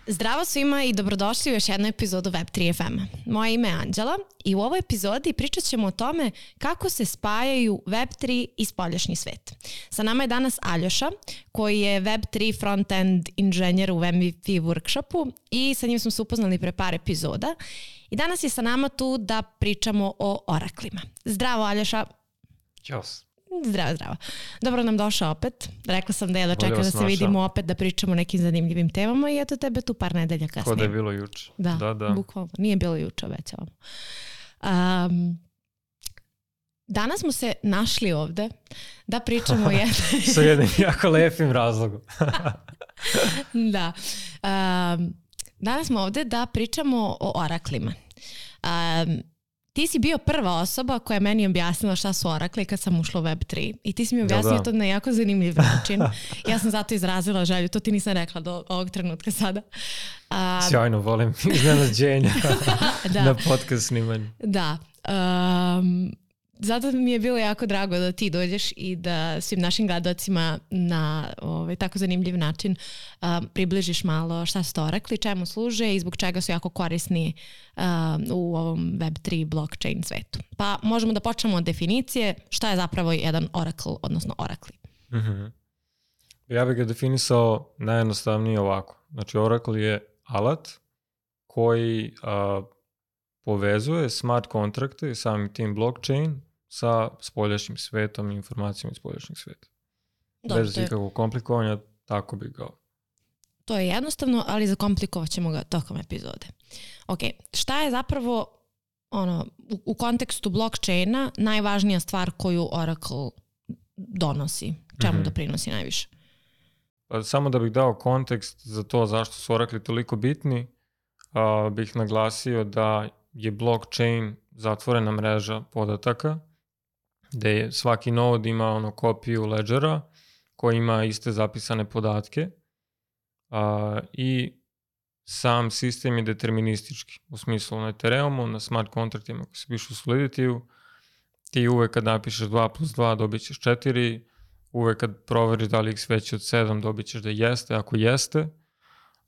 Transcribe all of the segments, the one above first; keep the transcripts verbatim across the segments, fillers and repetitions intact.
Zdravo svima i dobrodošli u još jednu epizodu Web tri F M. Moje ime je Anđela i u ovoj epizodi pričat ćemo o tome kako se spajaju Web tri i spoljašnji svet. Sa nama je danas Aljoša, koji je Web tri front-end inženjer u M V P workshopu i sa njim smo se upoznali pre par epizoda. I danas je sa nama tu da pričamo o oraklima. Zdravo Aljoša. Ćao. Zdravo, zdravo. Dobro nam došao opet. Rekla sam da je da čekam da se vidimo opet, da pričamo o nekim zanimljivim temama i eto tebe tu par nedelja kasnije. Ko da je bilo juče. Da, da, da. Bukvalno. Nije bilo juče, obećavam. Um, danas smo se našli ovde da pričamo o jednom... Sa jednim jako lepim razlogom. Da. Um, danas smo ovde da pričamo o oraklima. Um, Ti si bio prva osoba koja je meni objasnila šta su orakli kad sam ušla u Web tri. I ti si mi objasnio da, da. to na jako zanimljiv način. Ja sam zato izrazila želju. To ti nisam rekla do ovog trenutka sada. Um, Sjajno, volim iznenađenja da. na podcast snimanju. Da. Um, zato mi je bilo jako drago da ti dođeš i da svim našim gledalcima na ovaj, tako zanimljiv način um, približiš malo šta su to orakli, čemu služe i zbog čega su jako korisni um, u ovom Web tri blockchain svetu. Pa možemo da počnemo od definicije šta je zapravo jedan oracle, odnosno orakli. Mm-hmm. Ja bih ga definisao najjednostavnije ovako. Znači oracle je alat koji uh, povezuje smart kontrakte i samim tim blockchain sa spoljašnjim svetom i informacijama iz spoljašnjeg sveta. Dobro, bez ikakvog komplikovanja, tako bi ga. To je jednostavno, ali zakomplikovat ćemo ga tokom epizode. Ok, šta je zapravo ono, u, u kontekstu blockchaina najvažnija stvar koju Oracle donosi? Čemu mm-hmm. doprinosi najviše? Pa, samo da bih dao kontekst za to zašto su Oracle toliko bitni, a, bih naglasio da je blockchain zatvorena mreža podataka, gde je svaki nod ima ono kopiju ledgera koji ima iste zapisane podatke a, i sam sistem je deterministički. U smislu na Ethereumu, na smart kontraktima koji se pišu u Solidity-u, ti uvek kad napišeš dva plus dva dobit ćeš četiri, uvek kad proveriš da li x veći od sedam dobit ćeš da jeste, ako jeste,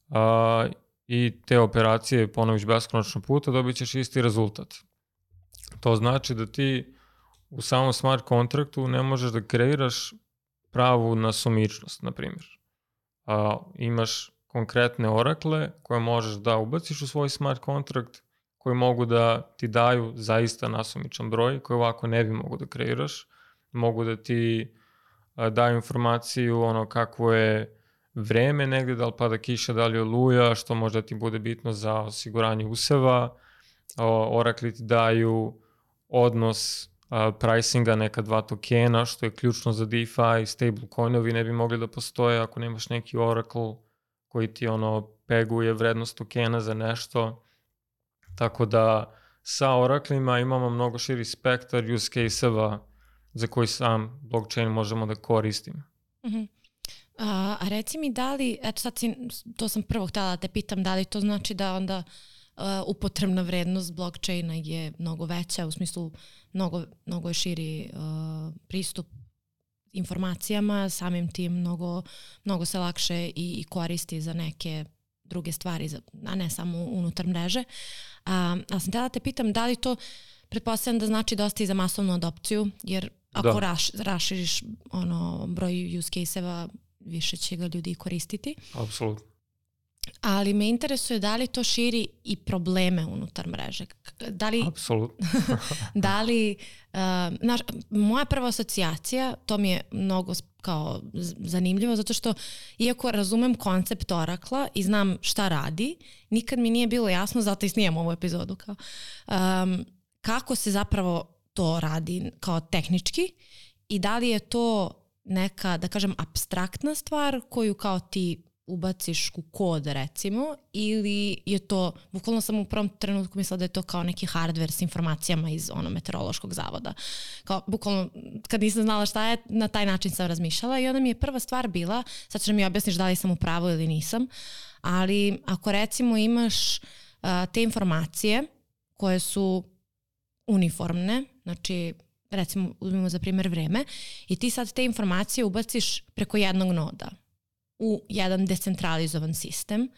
a, i te operacije ponoviš beskonačno puta, dobit ćeš isti rezultat. To znači da ti u samom smart kontraktu ne možeš da kreiraš pravu nasumičnost, na primjer. A, imaš konkretne orakle koje možeš da ubaciš u svoj smart kontrakt, koji mogu da ti daju zaista nasumičan broj, koji ovako ne bi mogu da kreiraš. Mogu da ti a, daju informaciju ono kako je vreme negde, da li pada kiša, da li je oluja, što možda ti bude bitno za osiguranje useva. Orakli ti daju odnos uh, pricinga neka dva tokena, što je ključno za DeFi. Stablecoinovi ne bi mogli da postoje ako nemaš neki oracle koji ti ono peguje vrednost tokena za nešto. Tako da sa oraklima imamo mnogo širi spektar use case-eva za koji sam blockchain možemo da koristimo. Mhm. A, a reci mi da li, eto sad si, to sam prvo htjela da te pitam, da li to znači da onda uh, upotrebna vrednost blockchaina je mnogo veća, u smislu mnogo, mnogo je širi uh, pristup informacijama, samim tim mnogo, mnogo se lakše i, i koristi za neke druge stvari, za, a ne samo unutar mreže. A, a sam htjela da te pitam da li to, pretpostavljam da znači dosta i za masovnu adopciju, jer ako raš, raširiš ono, broj use case-eva, više će ga ljudi koristiti. Apsolutno. Ali me interesuje da li to širi i probleme unutar mreže. Da li, Apsolutno. da li, uh, naš, moja prva asocijacija, to mi je mnogo kao zanimljivo, zato što iako razumem koncept Oracla i znam šta radi, nikad mi nije bilo jasno, zato i snijam ovu epizodu, kao, um, kako se zapravo to radi kao tehnički i da li je to neka, da kažem, apstraktna stvar koju kao ti ubaciš u kod recimo, ili je to, bukvalno sam u prvom trenutku mislila da je to kao neki hardware s informacijama iz ono meteorološkog zavoda. Kao bukvalno kad nisam znala šta je, na taj način sam razmišljala i onda mi je prva stvar bila, sad ćeš mi objasniš da li sam u pravu ili nisam, ali ako recimo imaš uh, te informacije koje su uniformne, znači recimo uzmimo za primjer vreme i ti sad te informacije ubaciš preko jednog noda. u jedan decentralizovan sistem,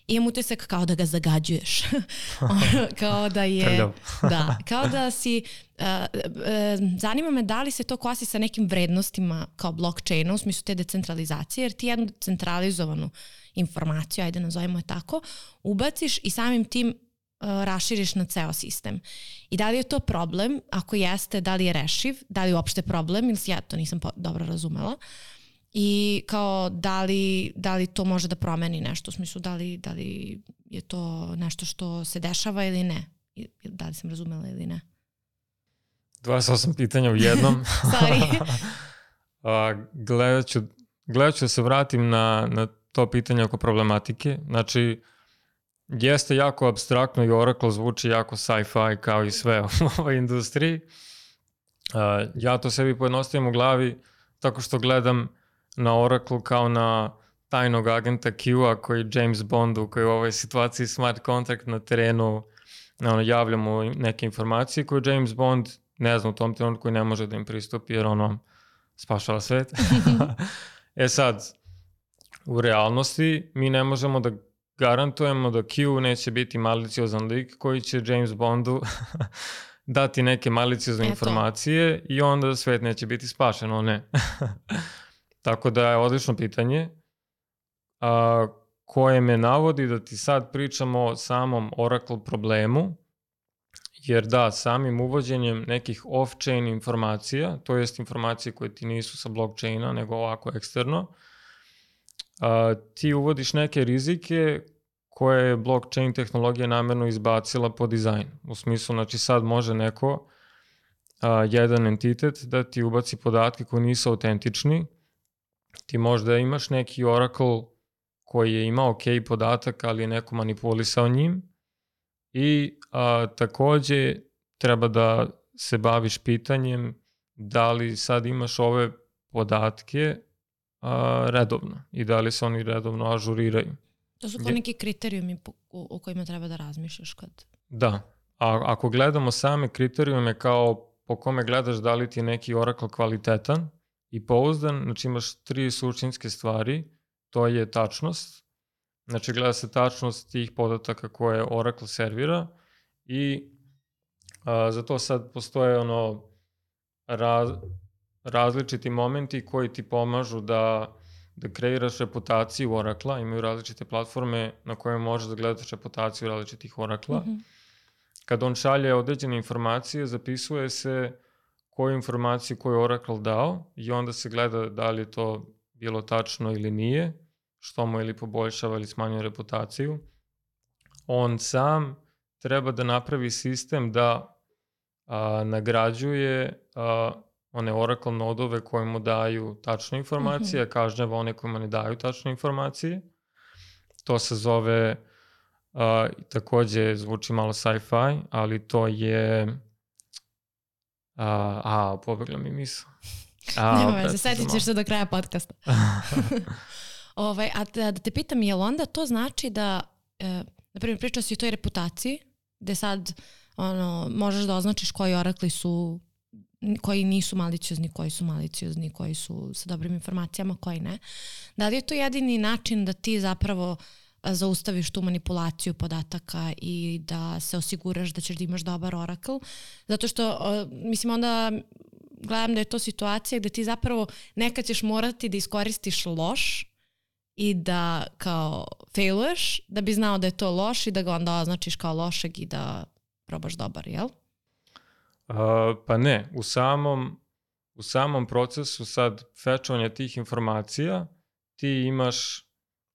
imam utisak kao da ga zagađuješ. Kao da je... da, kao da si... Uh, uh, zanima me da li se to kosi sa nekim vrednostima kao blockchaina u smislu te decentralizacije, jer ti jednu decentralizovanu informaciju, ajde nazovimo je tako, ubaciš i samim tim uh, raširiš na ceo sistem. I da li je to problem? Ako jeste, da li je rešiv? Da li je uopšte problem? Ili ja to nisam dobro razumela. I kao da li, da li to može da promeni nešto, u smislu da li, da li je to nešto što se dešava ili ne? Da li sam razumela ili ne? dvadeset osam pitanja u jednom. Sorry. uh, gledat, ću, gledat ću da se vratim na, na to pitanje oko problematike. Znači, jeste jako apstraktno i Oracle zvuči jako sci-fi kao i sve u ovoj industriji. Uh, ja to sebi pojednostavim u glavi tako što gledam na Oracle kao na tajnog agenta Q-a koji James Bondu, koji u ovoj situaciji smart contract na terenu ono, javlja mu neke informacije koje James Bond ne zna u tom trenutku koji ne može da im pristupi jer ono spašava svet. E sad, u realnosti mi ne možemo da garantujemo da Q neće biti maliciozan lik koji će James Bondu dati neke maliciozne informacije i onda svet neće biti spašen, o ne. Tako da je odlično pitanje a, koje me navodi da ti sad pričamo o samom Oracle problemu, jer da, samim uvođenjem nekih off-chain informacija, to jest informacije koje ti nisu sa blockchaina, nego ovako eksterno, a, ti uvodiš neke rizike koje je blockchain tehnologija namjerno izbacila po dizajn. U smislu, znači sad može neko, a, jedan entitet da ti ubaci podatke koji nisu autentični. Ti možda imaš neki Oracle koji je imao ok podatak, ali je neko manipulisao njim i a, takođe treba da se baviš pitanjem da li sad imaš ove podatke a, redovno i da li se oni redovno ažuriraju. To su kao neki kriterijumi o kojima treba da razmišljaš kad... Da, a ako gledamo same kriterijume kao po kome gledaš da li ti je neki Oracle kvalitetan i pouzdan, znači imaš tri suštinske stvari, to je tačnost, znači gleda se tačnost tih podataka koje Oracle servira i a, za to sad postoje ono raz, različiti momenti koji ti pomažu da, da kreiraš reputaciju Oracle-a, imaju različite platforme na koje možeš da gledaš reputaciju različitih Oracle-a. Mm-hmm. Kad on šalje određene informacije, zapisuje se koju informaciju koju je Oracle dao i onda se gleda da li je to bilo tačno ili nije, što mu ili poboljšava ili smanjuje reputaciju. On sam treba da napravi sistem da a, nagrađuje a, one Oracle nodove koje mu daju tačne informacije, mm-hmm. a kažnjava one kojima ne daju tačne informacije. To se zove, a, takođe zvuči malo sci-fi, ali to je... A, a pobegla mi misao. Nema veze, setit ćeš se do kraja podcasta. ovaj, a da, da te pitam, je li onda to znači da, e, na primjer, pričao si o toj reputaciji, gde sad ono, možeš da označiš koji Oracle su, koji nisu maliciozni, koji su maliciozni, koji su sa dobrim informacijama, koji ne. Da li je to jedini način da ti zapravo zaustaviš tu manipulaciju podataka i da se osiguraš da ćeš da imaš dobar Oracle? Zato što, mislim, onda gledam da je to situacija gde ti zapravo nekad ćeš morati da iskoristiš loš i da kao failuješ, da bi znao da je to loš i da ga onda označiš kao lošeg i da probaš dobar, jel? Uh, pa ne, u samom, u samom procesu sad fetchovanja tih informacija ti imaš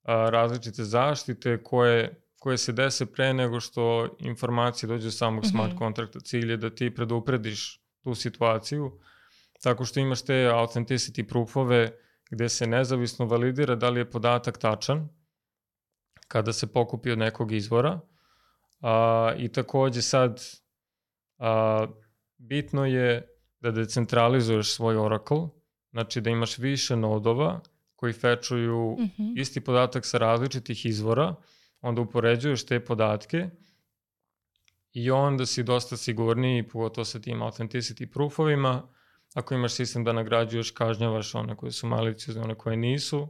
a, različite zaštite koje, koje se dese pre nego što informacije dođe do samog mm-hmm. smart kontrakta. Cilj je da ti preduprediš tu situaciju tako što imaš te authenticity proofove gde se nezavisno validira da li je podatak tačan kada se pokupi od nekog izvora. A, I takođe sad a, bitno je da decentralizuješ svoj Oracle, znači da imaš više nodova koji fetchuju mm-hmm. isti podatak sa različitih izvora, onda upoređuješ te podatke i onda si dosta sigurniji, pogotovo sa tim authenticity proofovima. Ako imaš sistem da nagrađuješ, kažnjavaš one koje su maliciozne, one koje nisu.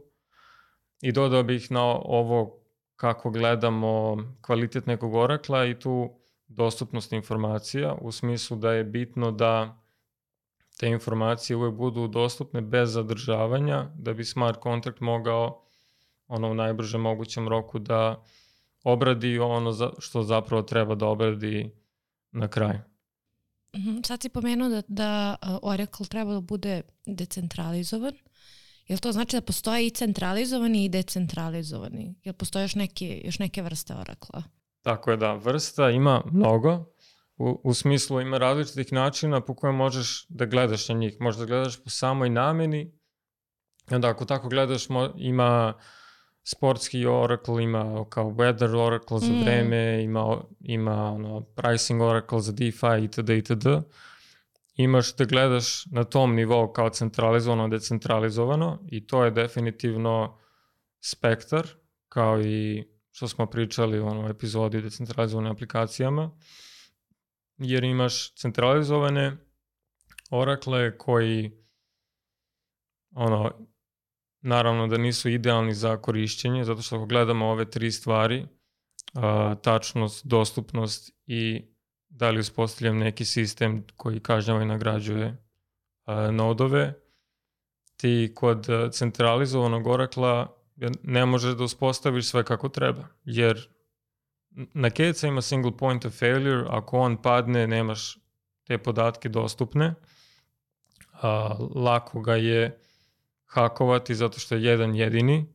I dodao bih na ovo kako gledamo kvalitet nekog Oracla i tu dostupnost informacija u smislu da je bitno da te informacije uvek budu dostupne bez zadržavanja, da bi smart contract mogao ono u najbržem mogućem roku da obradi ono za, što zapravo treba da obradi na kraju. Mm-hmm. Sad si pomenuo da, da Oracle treba da bude decentralizovan. Jel to znači da postoje i centralizovani i decentralizovani? Jel postoje još neke, još neke vrste Oracle-a? Tako je, da. Vrsta ima mnogo. U, u smislu ima različitih načina po kojem možeš da gledaš na njih. Možeš da gledaš po samoj nameni. I onda ako tako gledaš, mo, ima sportski Oracle, ima kao weather Oracle za vreme, mm. ima, ima ono, pricing Oracle za DeFi itd. itd. Imaš da gledaš na tom nivou kao centralizovano, decentralizovano i to je definitivno spektar, kao i što smo pričali u onoj epizodi o decentralizovanim aplikacijama, jer imaš centralizovane Oracle koji ono, naravno da nisu idealni za korišćenje, zato što ako gledamo ove tri stvari, a, tačnost, dostupnost i da li uspostavljam neki sistem koji kažnjava i nagrađuje a, nodove, ti kod centralizovanog Oracle-a ne možeš da uspostaviš sve kako treba, jer na keca ima single point of failure, ako on padne, nemaš te podatke dostupne, a, lako ga je hakovati zato što je jedan jedini,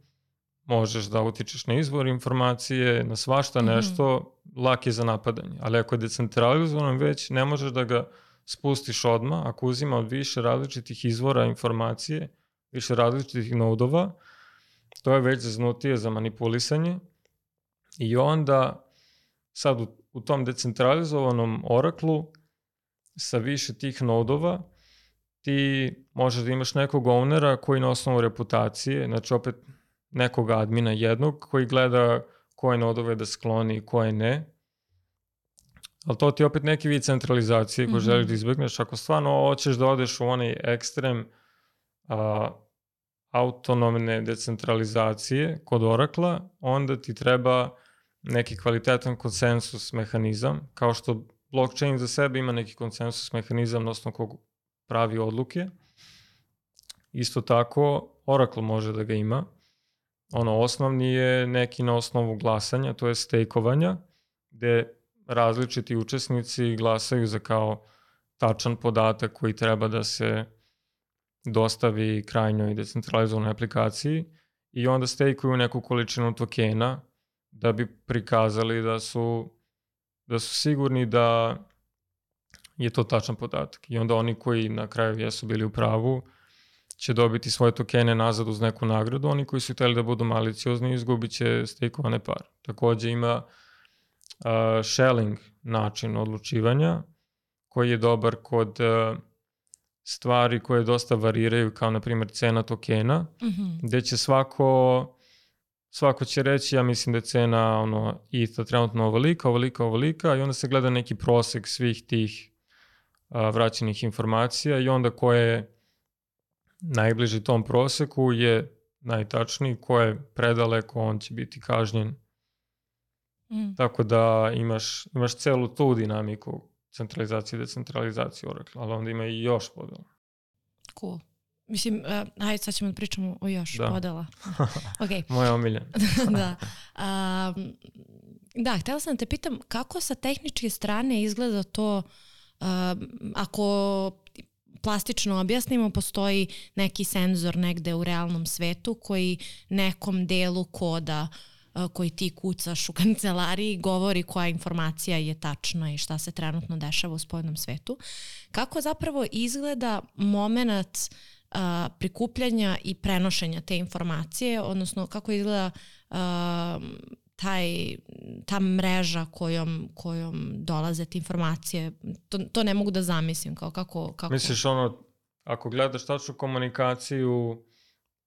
možeš da utičeš na izvor informacije, na svašta nešto, mm-hmm. lak je za napadanje. Ali ako je decentralizovan već, ne možeš da ga spustiš odmah, ako uzima od više različitih izvora informacije, više različitih nodova, to je već zaznutije za manipulisanje i onda sad u, u tom decentralizovanom Oracle-u sa više tih nodova ti možeš da imaš nekog ownera koji na osnovu reputacije, znači opet nekog admina jednog koji gleda koje nodove da skloni, koje ne. Ali to ti je opet neki vid centralizacije koji mm-hmm. želiš da izbjegneš. Ako stvarno hoćeš da odeš u onaj ekstrem a, autonomne decentralizacije kod Oracle-a, onda ti treba neki kvalitetan konsensus mehanizam, kao što blockchain za sebe ima neki konsensus mehanizam na osnovu kog pravi odluke. Isto tako Oracle može da ga ima. Ono osnovni je neki na osnovu glasanja, to je stejkovanja, gde različiti učesnici glasaju za kao tačan podatak koji treba da se dostavi krajnjoj decentralizovanoj aplikaciji i onda stejkuju neku količinu tokena da bi prikazali da su, da su sigurni da je to tačan podatak. I onda oni koji na kraju jesu bili u pravu će dobiti svoje tokene nazad uz neku nagradu, oni koji su hteli da budu maliciozni izgubit će stejkovane pare. Takođe ima uh, shelling način odlučivanja koji je dobar kod uh, stvari koje dosta variraju, kao na primjer cena tokena, mm-hmm. gde će svako svako će reći, ja mislim da je cena ono, E T H trenutno ovolika, ovolika, ovolika i onda se gleda neki prosek svih tih a, vraćenih informacija i onda ko je najbliži tom proseku je najtačniji, ko je predaleko, on će biti kažnjen. Mm. Tako da imaš, imaš celu tu dinamiku centralizacije i decentralizacije Oracle, ali onda ima i još podela. Cool. Mislim, uh, ajde sad ćemo da pričamo o još da. podela. Okay. Moja omiljena. da. Um, da, htjela sam da te pitam kako sa tehničke strane izgleda to uh, ako plastično objasnimo, postoji neki senzor negde u realnom svetu koji nekom delu koda uh, koji ti kucaš u kancelariji govori koja informacija je tačna i šta se trenutno dešava u spoljnom svetu. Kako zapravo izgleda moment Uh, prikupljanja i prenošenja te informacije, odnosno kako izgleda uh, taj, ta mreža kojom, kojom dolaze te informacije. To, to ne mogu da zamislim. Kao kako, kako... Misliš ono, ako gledaš tačnu komunikaciju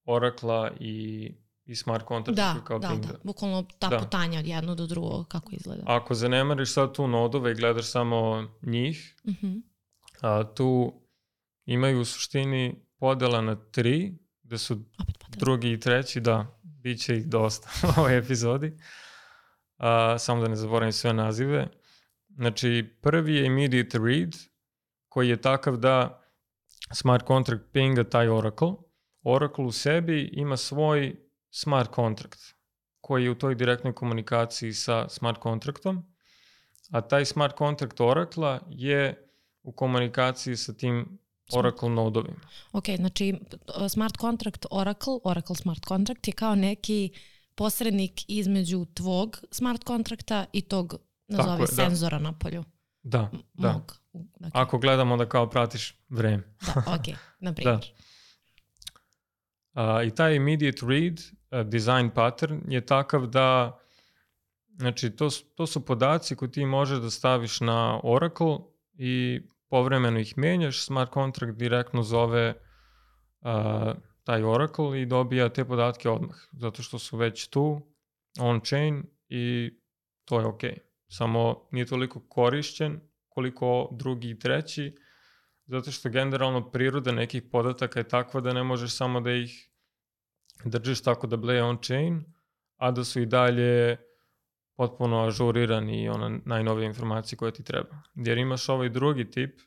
Oracle-a i, i smart contracta da, kao da, tim? Da, da, bukvalno ta da. putanja od jedno do drugog, kako izgleda. Ako zanemariš sad tu nodove i gledaš samo njih, uh-huh. a, tu imaju u suštini podela na tri, gde su drugi i treći, da, Biće ih dosta u ovoj epizodi. Uh, samo da ne zaboravim sve nazive. Znači, prvi je immediate read, koji je takav da smart contract pinga taj Oracle. Oracle u sebi ima svoj smart contract, koji je u toj direktnoj komunikaciji sa smart contractom, a taj smart contract Oracle je u komunikaciji sa tim Oracle nodovima. Ok, znači smart contract Oracle, Oracle smart contract je kao neki posrednik između tvog smart kontrakta i tog, nazovi, je, senzora da. na polju. Da, da. Mog. Okay. Ako gledamo onda kao pratiš vreme. Da, ok, na primjer. Da. Uh, I taj immediate read uh, design pattern je takav da, znači to, to su podaci koje ti možeš da staviš na Oracle i povremeno ih menjaš, smart contract direktno zove uh, taj Oracle i dobija te podatke odmah, zato što su već tu, on-chain i to je ok. Samo nije toliko korišćen koliko drugi i treći, zato što generalno priroda nekih podataka je takva da ne možeš samo da ih držiš tako da bleje on-chain, a da su i dalje potpuno ažurirani i ona najnovije informacije koje ti treba. Jer imaš ovaj drugi tip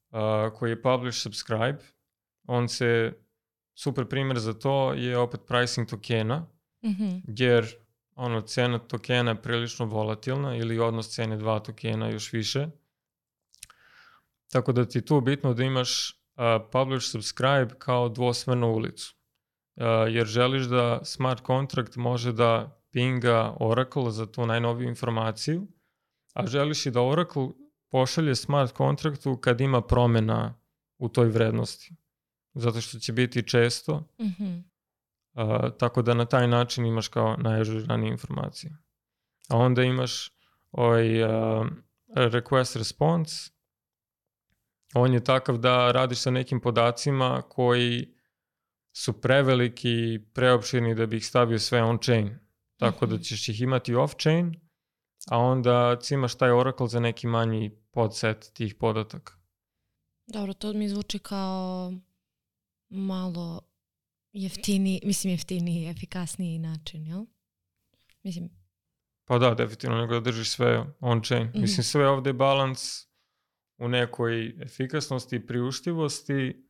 uh, koji je publish subscribe. On se, super primjer za to je opet pricing tokena, mm-hmm. jer ono, cena tokena je prilično volatilna ili odnos cene dva tokena još više. Tako da ti je tu bitno da imaš uh, publish subscribe kao dvosmernu ulicu. Uh, jer želiš da smart contract može da pinga Oracle za tu najnoviju informaciju, a želiš i da Oracle pošalje smart kontraktu kad ima promjena u toj vrednosti. Zato što će biti često. Mm-hmm. Uh, tako da na taj način imaš kao najažuranije informacije. A onda imaš ovaj uh, request response. On je takav da radiš sa nekim podacima koji su preveliki i preopširni da bi ih stavio sve on-chain. Tako mm-hmm. da ćeš ih imati off-chain, a onda cimaš taj Oracle za neki manji podset tih podataka. Dobro, to mi zvuči kao malo jeftiniji, mislim jeftiniji, efikasniji način, jel? Mislim... Pa da, definitivno, nego da držiš sve on-chain. Mm-hmm. Mislim, sve ovdje je balans u nekoj efikasnosti i priuštivosti,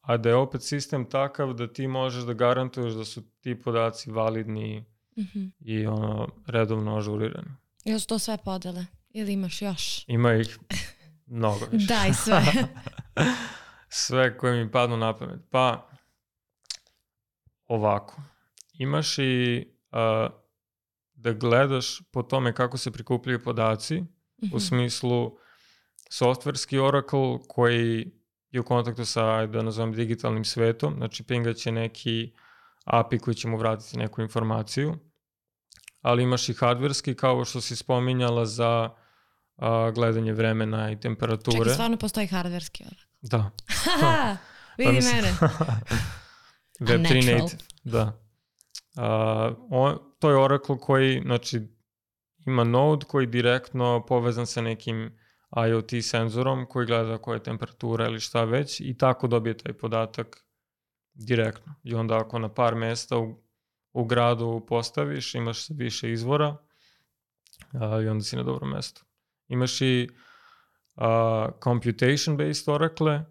a da je opet sistem takav da ti možeš da garantuješ da su ti podaci validni mm-hmm. i ono, redovno ažurirani. Jel su to sve podele? Ili imaš još? Ima ih mnogo više. Daj sve. Sve koje mi padnu na pamet. Pa, ovako. Imaš i uh, da gledaš po tome kako se prikupljaju podaci, mm-hmm. u smislu softverski Oracle koji je u kontaktu sa, da nazovem, digitalnim svetom, znači pingat će neki A P I koji će mu vratiti neku informaciju, ali imaš i hardverski, kao što si spominjala za uh, gledanje vremena i temperature. Čekaj, stvarno postoji hardverski Oracle? Da. Haha, vidi pa mene. Web tri native, da. Uh, on, to je Oracle koji, znači, ima node koji direktno povezan sa nekim IoT senzorom koji gleda koja je temperatura ili šta već i tako dobije taj podatak direktno. I onda ako na par mjesta u, u gradu postaviš, imaš više izvora uh, i onda si na dobro mjesto. Imaš i uh, computation-based Oracle.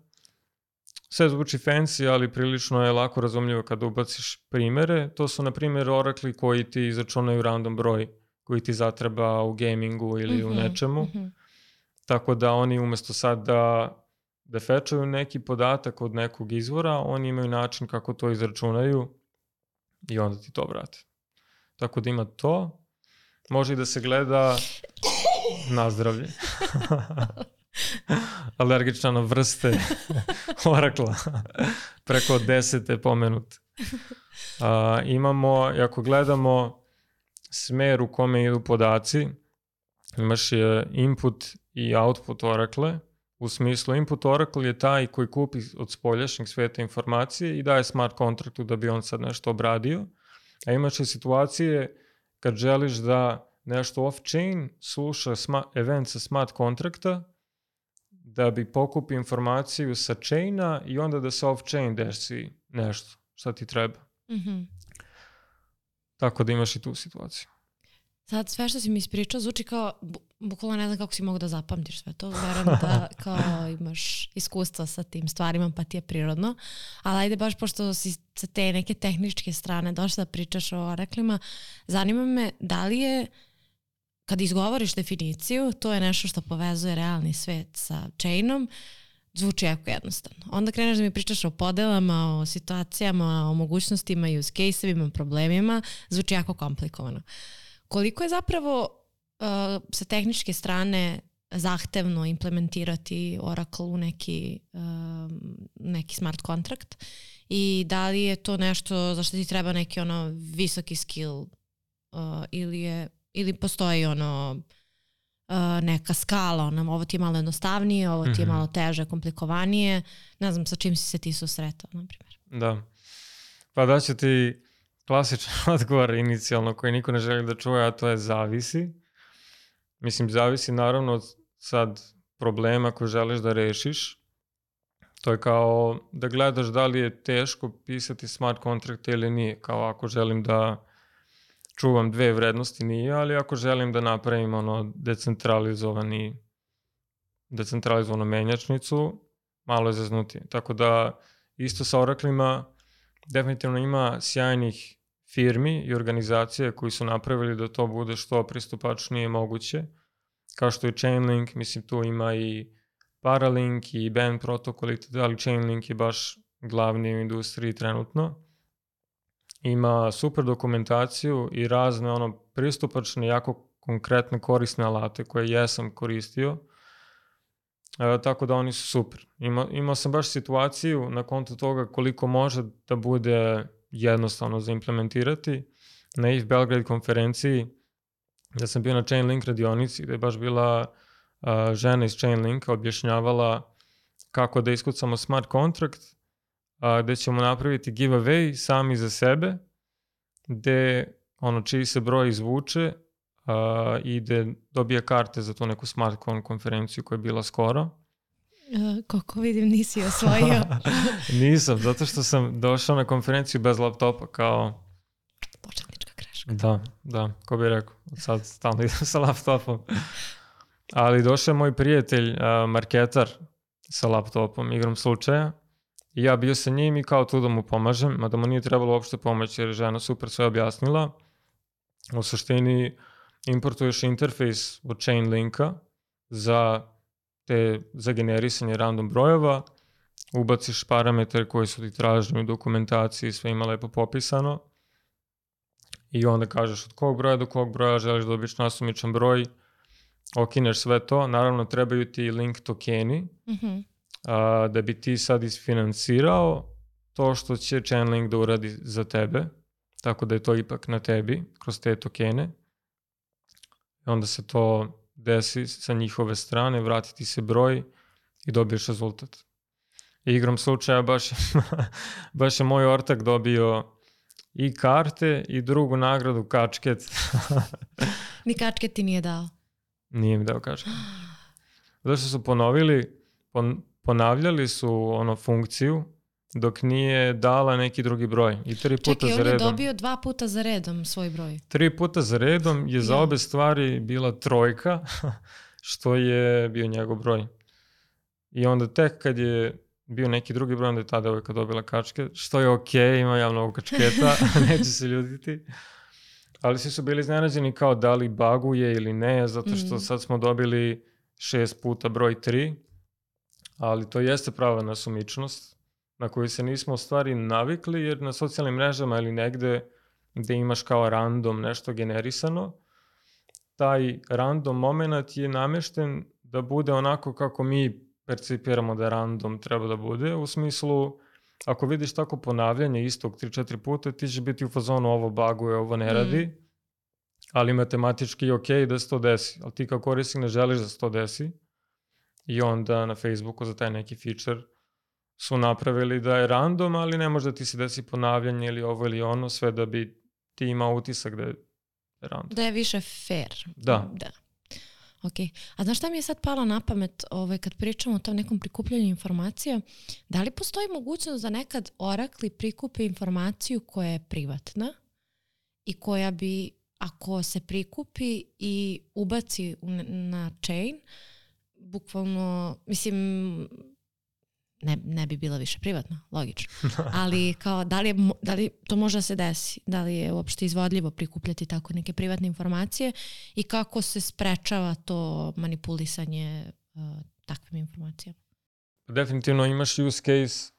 Sve zvuči fancy, ali prilično je lako razumljivo kada ubaciš primjere. To su, na primjer, Oracle koji ti izračunaju random broj koji ti zatreba u gamingu ili mm-hmm, u nečemu. Mm-hmm. Tako da oni umjesto sad da, da fetchuju neki podatak od nekog izvora, oni imaju način kako to izračunaju i onda ti to vrate. Tako da ima to. Može i da se gleda na zdravlje. Alergična na vrste Oracle. Preko deset je pomenut. Uh, imamo, ako gledamo smer u kome idu podaci, imaš je input i output Oracle. U smislu input Oracle je taj koji kupi od spoljašnjeg sveta informacije i daje smart kontraktu da bi on sad nešto obradio. A imaš i situacije kad želiš da nešto off-chain sluša sma- event sa smart kontrakta da bi pokupi informaciju sa chaina i onda da se off-chain desi nešto šta ti treba. Mm-hmm. Tako da imaš i tu situaciju. Sad sve što si mi ispričao zvuči kao, bu, bukvalno ne znam kako si mogu da zapamtiš sve to. Verujem da kao imaš iskustva sa tim stvarima pa ti je prirodno. Ali ajde baš pošto si sa te neke tehničke strane došla da pričaš o oraklima, zanima me da li je, kad izgovoriš definiciju, to je nešto što povezuje realni svet sa chainom, zvuči jako jednostavno. Onda kreneš da mi pričaš o podelama, o situacijama, o mogućnostima, use case-evima, problemima, zvuči jako komplikovano. Koliko je zapravo uh, sa tehničke strane zahtevno implementirati Oracle u neki, uh, neki smart kontrakt i da li je to nešto za što ti treba neki ono visoki skill uh, ili, je, ili postoji ono uh, neka skala, ono, ovo ti je malo jednostavnije, ovo ti je malo teže, komplikovanije, ne znam sa čim si se ti susretao, na primjer. Da, pa da ću ti klasičan odgovor inicijalno koji niko ne želi da čuje, a to je zavisi. Mislim, zavisi naravno od sad problema koje želiš da rešiš. To je kao da gledaš da li je teško pisati smart kontrakte ili nije. Kao ako želim da čuvam dve vrednosti nije, ali ako želim da napravim ono decentralizovani decentralizovanu menjačnicu, malo je zeznutije. Tako da isto sa Oraclima definitivno ima sjajnih firmi i organizacije koji su napravili da to bude što pristupačnije moguće. Kao što je Chainlink, mislim tu ima i Paralink i Band protokol, ali Chainlink je baš glavni u industriji trenutno. Ima super dokumentaciju i razne ono pristupačne, jako konkretne korisne alate koje jesam koristio. E, tako da oni su super. Ima, imao sam baš situaciju na kontu toga koliko može da bude jednostavno za implementirati. Na I F Belgrade konferenciji da sam bio na Chainlink radionici gde je baš bila uh, žena iz Chainlinka objašnjavala kako da iskucamo smart contract, uh, gde ćemo napraviti giveaway sami za sebe, gde ono čiji se broj izvuče uh, i gde dobije karte za tu neku smart konferenciju koja je bila skoro. Uh, koliko vidim nisi osvojio. Nisam, zato što sam došao na konferenciju bez laptopa kao... Početnička greška. Da, da, ko bi rekao, sad stalno idem sa laptopom. Ali došao je moj prijatelj, uh, marketar sa laptopom, igrom slučaja. I ja bio sa njim i kao tu da mu pomažem, mada mu nije trebalo uopšte pomoći jer je žena super sve objasnila. U suštini importuješ interfejs od Chainlinka za te za generisanje random brojeva, ubaciš parametre koji su ti traženi u dokumentaciji, sve ima lepo popisano i onda kažeš od kog broja do kog broja želiš da dobiješ nasumičan broj, okineš sve to, naravno trebaju ti link tokeni, mm-hmm. a, da bi ti sad isfinansirao to što će Chainlink da uradi za tebe, tako da je to ipak na tebi kroz te tokene. I onda se to desi sa njihove strane, vratiti se broj i dobiješ rezultat. I igrom slučaja baš, baš je moj ortak dobio i karte i drugu nagradu kačket. Ni kačket ti nije dao? Nije mi dao kačket. Zato što su ponovili, pon, ponavljali su ono funkciju dok nije dala neki drugi broj. I tri puta Čekaj, za redom. Čekaj, on je dobio dva puta za redom svoj broj. Tri puta za redom je za obe stvari bila trojka, što je bio njegov broj. I onda tek kad je bio neki drugi broj, onda je ta devojka dobila kačket, što je okej, okay, ima ja mnogo kačketa, neće se ljutiti. Ali svi su bili iznenađeni kao da li baguje ili ne, zato što mm. sad smo dobili šest puta broj tri, ali to jeste prava nasumičnost na koju se nismo u stvari navikli, jer na socijalnim mrežama ili negde gde imaš kao random nešto generisano, taj random moment je namešten da bude onako kako mi percipiramo da random treba da bude, u smislu ako vidiš tako ponavljanje istog tri četiri puta, ti će biti u fazonu ovo baguje, ovo ne radi, mm. ali matematički je okej da se to desi, ali ti kao korisnik ne želiš da se to desi i onda na Facebooku za taj neki feature su napravili da je random, ali ne može da ti se desi ponavljanje ili ovo ili ono, sve da bi ti imao utisak da je random. Da je više fair. Da. Da. Ok. A znaš šta mi je sad palo na pamet ovaj, kad pričamo o tom nekom prikupljanju informacija? Da li postoji mogućnost da nekad Oracle prikupe informaciju koja je privatna i koja bi, ako se prikupi i ubaci na chain, bukvalno, mislim, ne, ne bi bila više privatna, logično. Ali kao, da li, je, da li to može da se desi? Da li je uopšte izvodljivo prikupljati tako neke privatne informacije i kako se sprečava to manipulisanje uh, takvim informacijama? Definitivno imaš use case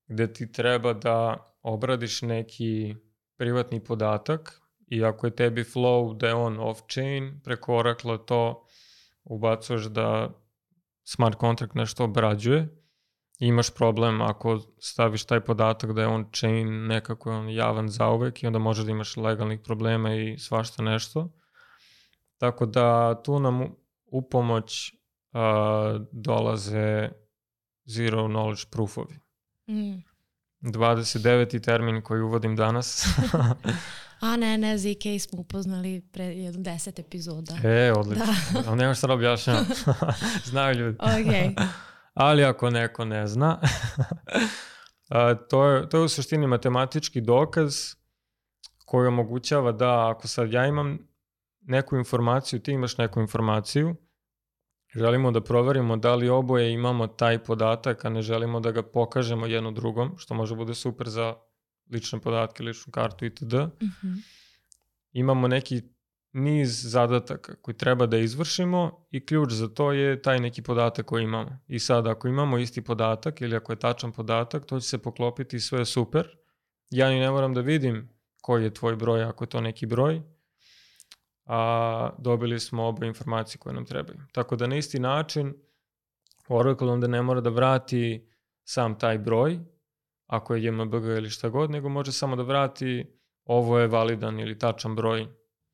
gde ti treba da obradiš neki privatni podatak i ako je tebi flow da je on off-chain, preko Oracle to ubacuješ da smart contract nešto obrađuje. Imaš problem ako staviš taj podatak da je on chain, nekako je on javan zauvek i onda može da imaš legalnih problema i svašta nešto. Tako da tu nam u pomoć uh, dolaze zero knowledge proofovi. Mm. dvadeset deveti termin koji uvodim danas. A ne, ne, Z K smo upoznali pre jedno deset epizoda. E, odlično. Da. Ali nema šta da objašnjam. Znaju ljudi. Ok. Ali ako neko ne zna, a, to, je, to je u suštini matematički dokaz koji omogućava da ako sad ja imam neku informaciju, ti imaš neku informaciju, želimo da proverimo da li oboje imamo taj podatak, a ne želimo da ga pokažemo jedno drugom, što može bude super za lične podatke, ličnu kartu itd. Mm-hmm. Imamo neki niz zadataka koji treba da izvršimo i ključ za to je taj neki podatak koji imamo. I sad ako imamo isti podatak ili ako je tačan podatak, to će se poklopiti i sve je super. Ja ni ne moram da vidim koji je tvoj broj ako je to neki broj, a dobili smo oba informacije koje nam trebaju. Tako da na isti način Oracle onda ne mora da vrati sam taj broj, ako je J M B G ili šta god, nego može samo da vrati ovo je validan ili tačan broj.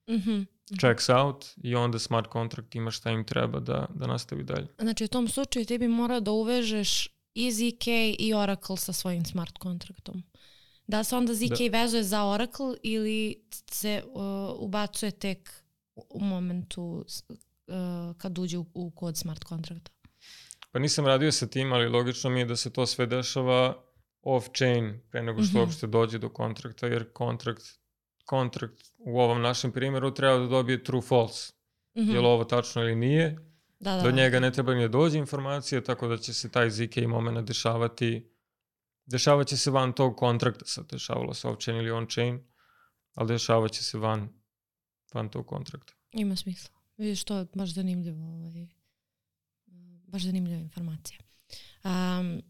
Mm-hmm. Checks out i onda smart contract ima šta im treba da, da nastavi dalje. Znači u tom slučaju ti bi morao da uvežeš i Z K i Oracle sa svojim smart contractom. Da se onda Z K da. vezuje za Oracle ili se uh, ubacuje tek u momentu uh, kad uđe u, u kod smart contracta? Pa nisam radio sa tim, ali logično mi je da se to sve dešava off-chain pre nego što mm-hmm. uopšte dođe do kontrakta, jer kontrakt, kontrakt u ovom našem primjeru treba da dobije true false. Mm-hmm. Je li ovo tačno ili nije? Da, da, do njega ne treba ni da dođe informacije, tako da će se taj Z K moment dešavati, dešavat će se van tog kontrakta, sad dešavalo se off-chain ili on-chain, ali dešavat će se van, van tog kontrakta. Ima smisla. Vidiš, to je baš zanimljivo, ovaj, baš zanimljiva informacija. Um,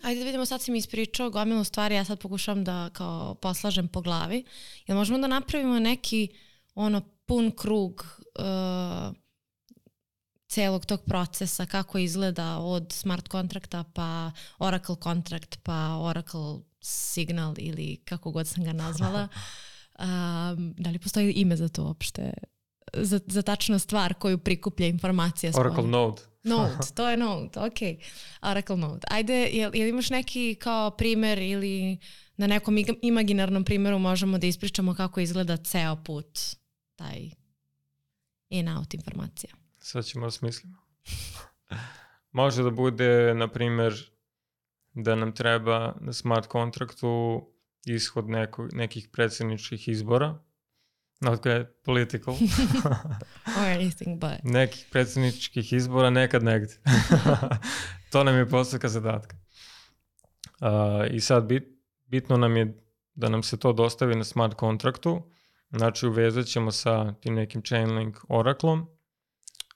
Ajde da vidimo, sad si mi ispričao gomilu stvari, ja sad pokušavam da kao poslažem po glavi. Jel možemo da napravimo neki ono pun krug uh, celog tog procesa, kako izgleda od smart kontrakta pa Oracle kontrakt pa Oracle signal ili kako god sam ga nazvala. Um, da li postoji ime za to uopšte? Za, za tačnu stvar koju prikuplja informacija. Oracle spolja. Node. Node, to je Node, ok. Oracle Node. Ajde, jel, jel imaš neki kao primer ili na nekom imaginarnom primjeru možemo da ispričamo kako izgleda ceo put taj in-out informacija? Sad ćemo da smislimo. Može da bude, na primjer, da nam treba na smart kontraktu ishod neko, nekih predsjedničkih izbora. Not good, political. Or anything but. Nekih predsjedničkih izbora nekad negdje. To nam je postavka zadatka. Uh, I sad bit, bitno nam je da nam se to dostavi na smart kontraktu. Znači uvezat ćemo sa tim nekim Chainlink Oracleom.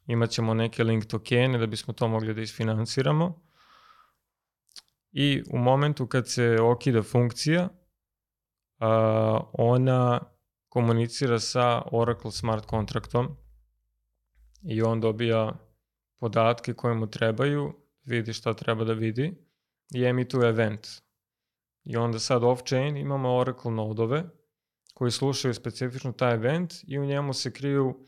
Imat ćemo neke link tokene da bismo to mogli da isfinansiramo. I u momentu kad se okida funkcija, uh, ona komunicira sa Oracle smart kontraktom i on dobija podatke koje mu trebaju, vidi šta treba da vidi i emituje event. I onda sad off-chain imamo Oracle nodove koji slušaju specifično taj event i u njemu se kriju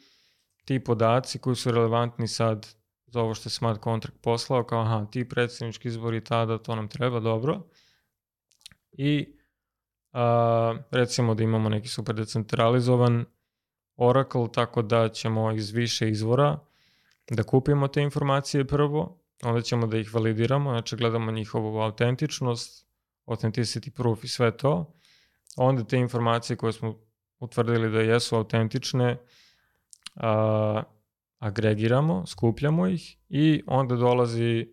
ti podaci koji su relevantni sad za ovo što je smart contract poslao, kao aha, ti predsjednički izbori tada, to nam treba, dobro. I Uh, recimo da imamo neki super decentralizovan Oracle, tako da ćemo iz više izvora da kupimo te informacije prvo, onda ćemo da ih validiramo, znači gledamo njihovu autentičnost, authenticity proof i sve to. Onda te informacije koje smo utvrdili da jesu autentične, a, agregiramo, skupljamo ih i onda dolazi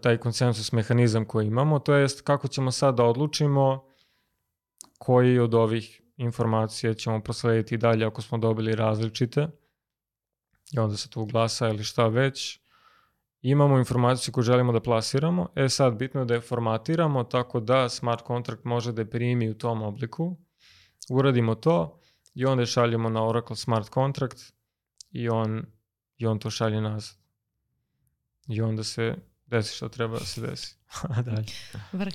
taj konsensus mehanizam koji imamo, to jest kako ćemo sad da odlučimo koji od ovih informacija ćemo proslediti dalje ako smo dobili različite i onda se tu glasa ili šta već. Imamo informaciju koju želimo da plasiramo, e sad bitno je da je formatiramo tako da smart contract može da je primi u tom obliku. Uradimo to i onda je šaljemo na Oracle smart contract i on, i on to šalje nazad. I onda se desi što treba da se desi. Dalje. Vrh.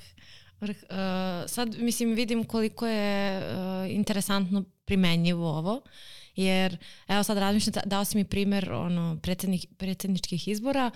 Vrh. Uh, sad, mislim, vidim koliko je uh, interesantno primenjivo ovo, jer, evo sad razmišljam, dao si mi primer ono, predsjednik, predsjedničkih izbora,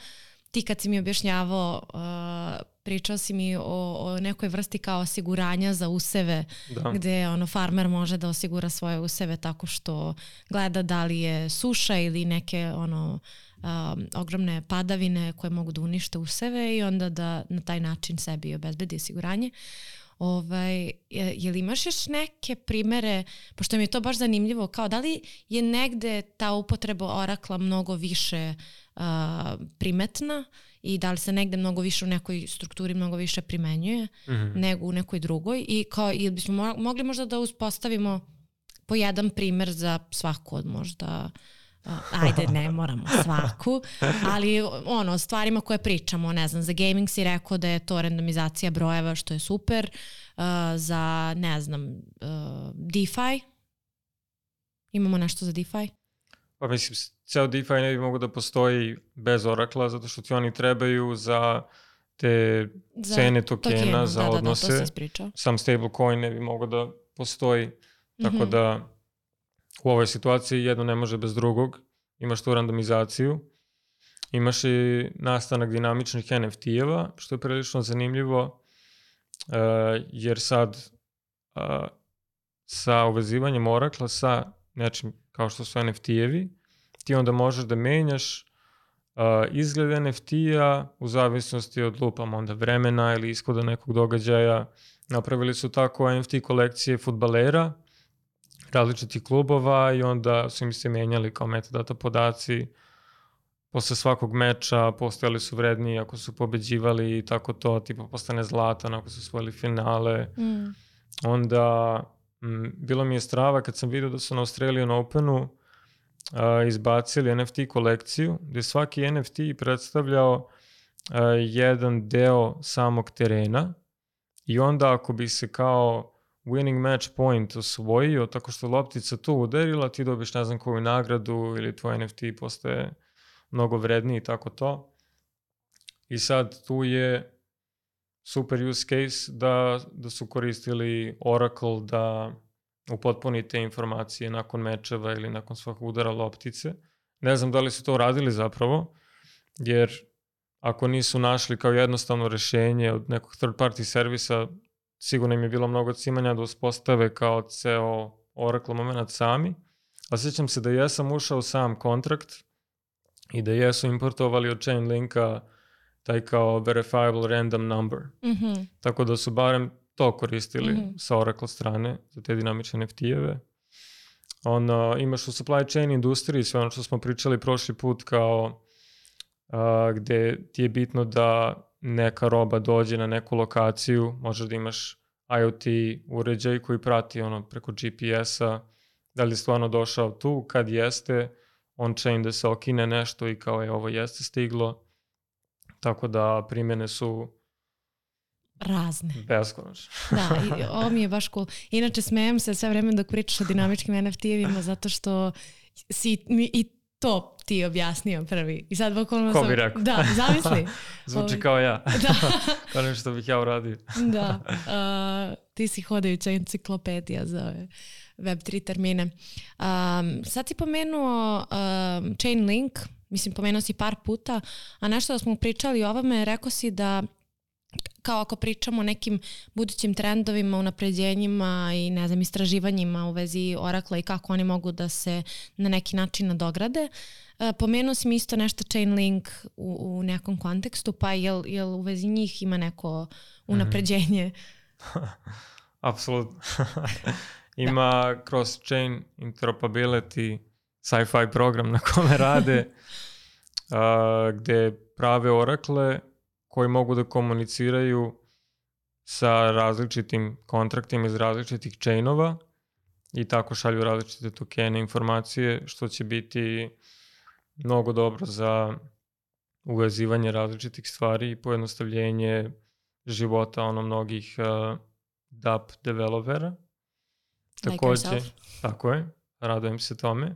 ti kad si mi objašnjavao, uh, pričao si mi o, o nekoj vrsti kao osiguranja za useve, da. Gde ono, farmer može da osigura svoje useve tako što gleda da li je suša ili neke ono, um, ogromne padavine koje mogu da unište useve i onda da na taj način sebi obezbedi osiguranje. Ovaj, je, je li imaš još neke primere, pošto mi je to baš zanimljivo, kao da li je negde ta upotreba Oracla mnogo više uh, primetna i da li se negde mnogo više u nekoj strukturi mnogo više primenjuje mm-hmm. nego u nekoj drugoj i kao, ili bismo mo- mogli možda da uspostavimo po jedan primer za svaku od možda Uh, ajde, ne moramo svaku, ali ono, stvarima koje pričamo, ne znam, za gaming si rekao da je to randomizacija brojeva, što je super, uh, za, ne znam, uh, DeFi, imamo nešto za DeFi? Pa mislim, ceo DeFi ne bi mogo da postoji bez Oracla, zato što ti oni trebaju za te za cene tokena, tokenu, za da, odnose. Da, da, to si ispričao. Sam stablecoin ne bi mogo da postoji, tako mm-hmm. da u ovoj situaciji jedno ne može bez drugog, imaš tu randomizaciju, imaš i nastanak dinamičnih en ef ti-eva, što je prilično zanimljivo, uh, jer sad uh, sa uvezivanjem Oracla sa nečim kao što su en ef ti-evi, ti onda možeš da menjaš uh, izgled en ef ti-a u zavisnosti od lupama onda vremena ili ishoda nekog događaja. Napravili su tako en ef ti kolekcije fudbalera, različitih klubova i onda su im se menjali kao metadata podaci. Posle svakog meča postojali su vredniji ako su pobeđivali i tako to, tipa postane zlatan ako su osvojili finale. Mm. Onda m, bilo mi je strava kad sam vidio da su na Australian Openu a, izbacili en ef ti kolekciju gde svaki en ef ti predstavljao a, jedan deo samog terena i onda ako bi se kao winning match point osvojio tako što loptica tu udarila, ti dobiš ne znam koju nagradu ili tvoj en ef ti postaje mnogo vredniji i tako to. I sad tu je super use case da, da su koristili Oracle da upotpuni te informacije nakon mečeva ili nakon svakog udara loptice. Ne znam da li su to radili zapravo, jer ako nisu našli kao jednostavno rešenje od nekog third party servisa, sigurno im je bilo mnogo cimanja da uspostave kao ceo Oracle moment sami, a sjećam se da jesam ušao u sam kontrakt i da jesu importovali od Chainlinka taj kao verifiable random number. Mm-hmm. Tako da su barem to koristili mm-hmm. sa Oracle strane za te dinamične en ef ti-eve. Ono, imaš u supply chain industriji sve ono što smo pričali prošli put kao a, gde ti je bitno da neka roba dođe na neku lokaciju, možeš da imaš IoT uređaj koji prati ono preko G P S-a, da li je stvarno došao tu, kad jeste, on-chain da se okine nešto i kao je ovo jeste stiglo, tako da primjene su razne. Beskonačno. Da, i ovo mi je baš cool. Inače, smejem se sve vreme dok pričaš o dinamičkim en ef ti-evima zato što si mi i to ti objasnio prvi. I sad bukvalno sam... Ko bi rekao? Da, zamisli. Zvuči Ovi... kao ja. Da. Kao nešto bih ja uradio. Da. Uh, ti si hodajuća enciklopedija za ove web tri termine. Um, sad si pomenuo um, Chainlink, mislim pomenuo si par puta, a nešto da smo pričali o ovome, rekao si da kao ako pričamo o nekim budućim trendovima, unapređenjima i ne znam, istraživanjima u vezi Oracla i kako oni mogu da se na neki način nadograde. Uh, pomenuo si mi isto nešto Chainlink u, u nekom kontekstu, pa jel, jel u vezi njih ima neko unapređenje? Apsolutno. ima da. cross-chain interoperability sci-fi program na kome rade, a, gde prave orakle koji mogu da komuniciraju sa različitim kontraktima iz različitih chainova i tako šalju različite tokene, informacije, što će biti mnogo dobro za uvezivanje različitih stvari i pojednostavljenje života ono mnogih uh, D A P developera. Takođe, like tako je, radujem se tome.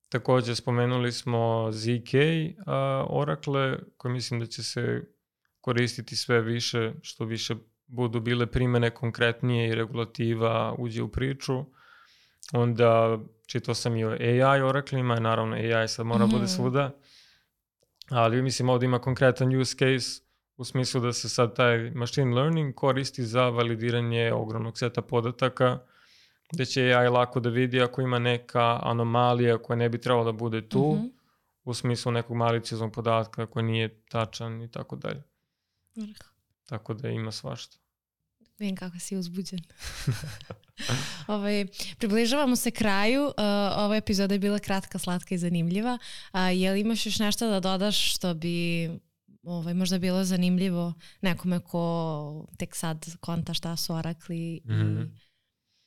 Takođe spomenuli smo Z K uh, Oracle, koje mislim da će se koristiti sve više, što više budu bile primene konkretnije i regulativa uđe u priču. Onda čitao sam i o A I oraklima, naravno A I sad mora mm-hmm. bude svuda, ali mislim ovdje ima konkretan use case u smislu da se sad taj machine learning koristi za validiranje ogromnog seta podataka, gde će A I lako da vidi ako ima neka anomalija koja ne bi trebala da bude tu, mm-hmm. u smislu nekog malicioznog podatka koji nije tačan i tako dalje. Tako da ima svašta. Vidim kako si uzbuđen. Ovaj, približavamo se kraju. Uh, ova epizoda je bila kratka, slatka i zanimljiva. Uh, je li imaš još nešto da dodaš što bi ovaj, možda bilo zanimljivo nekome ko tek sad konta šta su orakli? Mm-hmm.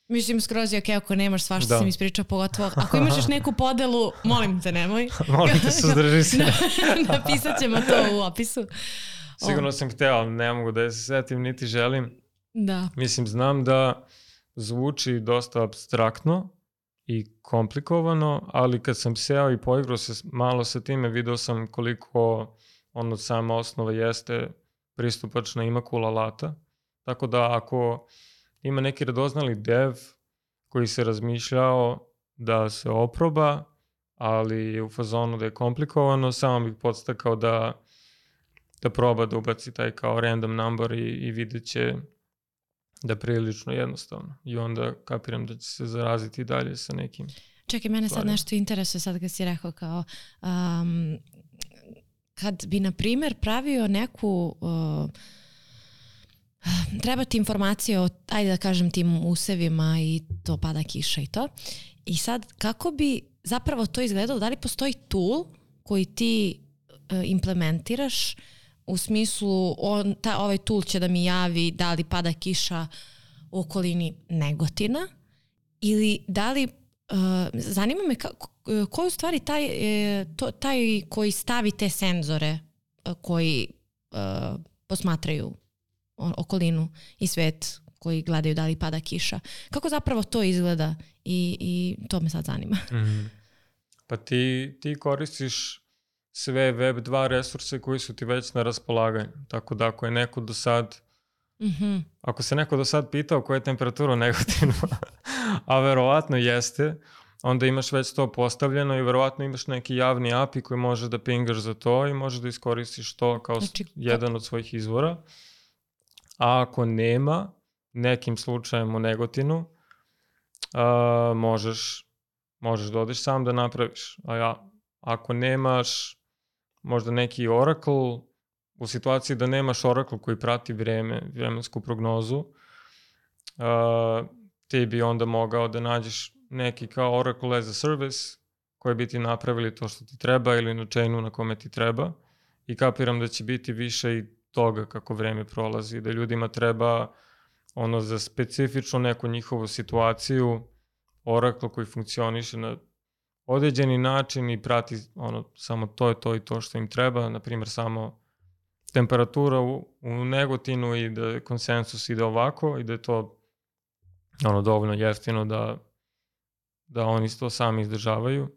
I... Mislim, skroz je okej, okay, ako nemaš svašta da. Sam ispričao, pogotovo. Ako imaš još neku podelu, molim te, nemoj. Molim te, suzdrži se. Napisat ćemo to u opisu. Sigurno sam hteo, ali ne mogu da je se setim, niti želim. Da. Mislim, znam da zvuči dosta apstraktno i komplikovano, ali kad sam seo i poigrao se malo sa time, video sam koliko ono sama osnova jeste pristupačna, ima cool alata. Tako da ako ima neki radoznali dev koji se razmišljao da se oproba, ali u fazonu da je komplikovano, samo bih podstakao da, da proba da ubaci taj kao random number i, i vidjet će da prilično jednostavno. I onda kapiram da će se zaraziti dalje sa nekim. Čekaj, mene sad nešto interesuje sad kad si rekao kao um, kad bi na primjer pravio neku uh, treba ti informacije o, ajde da kažem, tim usevima i to pada kiša i to. I sad kako bi zapravo to izgledalo? Da li postoji tool koji ti uh, implementiraš u smislu on, ta, ovaj tool će da mi javi da li pada kiša u okolini Negotina ili da li, uh, zanima me ka, ko je u stvari taj, to, taj koji stavi te senzore uh, koji uh, posmatraju okolinu i svet koji gledaju da li pada kiša. Kako zapravo to izgleda i, i to me sad zanima. Mm. Pa ti, ti koristiš sve web dva resurse koji su ti već na raspolaganju. Tako da ako je neko do sad mm-hmm. ako se neko do sad pitao koja je temperatura u Negotinu, a verovatno jeste, onda imaš već to postavljeno i verovatno imaš neki javni A P I koji može da pingaš za to i možeš da iskoristiš to kao znači, jedan od svojih izvora. A ako nema, nekim slučajem u Negotinu, uh, možeš, možeš da odeš sam da napraviš. A ja, ako nemaš možda neki Oracle, u situaciji da nemaš Oracle koji prati vreme, vremensku prognozu, uh, ti bi onda mogao da nađeš neki kao Oracle as a service koji bi ti napravili to što ti treba ili na chainu na kome ti treba i kapiram da će biti više i toga kako vreme prolazi, da ljudima treba ono za specifično neku njihovu situaciju Oracle koji funkcioniše na određeni način i prati ono samo to je to i to što im treba, na primjer samo temperatura u, u Negotinu i da konsensus ide ovako i da je to ono dovoljno jeftino da, da oni to sami izdržavaju.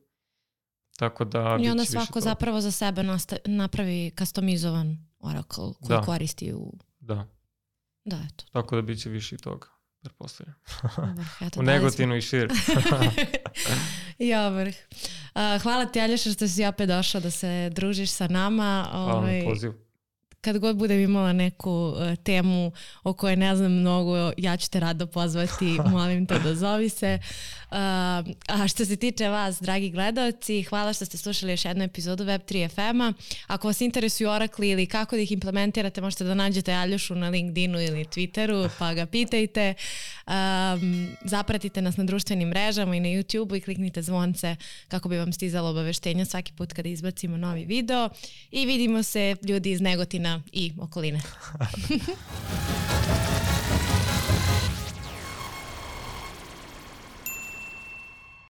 Tako da i onda svako zapravo za sebe nastavi, napravi customizovan Oracle koji da. Koristi u... Da. Da, eto. Tako da bit će više i toga, pretpostavljam. U Negotinu i šir. Ja, vrh. Uh, hvala ti, Aljoša, što si opet došao da se družiš sa nama. Hvala ovaj, na poziv. Kad god budem imala neku uh, temu o kojoj ne znam mnogo, ja ću te rado pozvati, molim te da zovi se. Uh, a što se tiče vas, dragi gledalci, hvala što ste slušali još jednu epizodu Web tri F M-a. Ako vas interesuju Oracle ili kako da ih implementirate, možete da nađete Aljošu na LinkedInu ili Twitteru, pa ga pitajte. Um, zapratite nas na društvenim mrežama i na YouTubeu i kliknite zvonce kako bi vam stizalo obaveštenja svaki put kada izbacimo novi video. I vidimo se ljudi iz Negotina i okoline.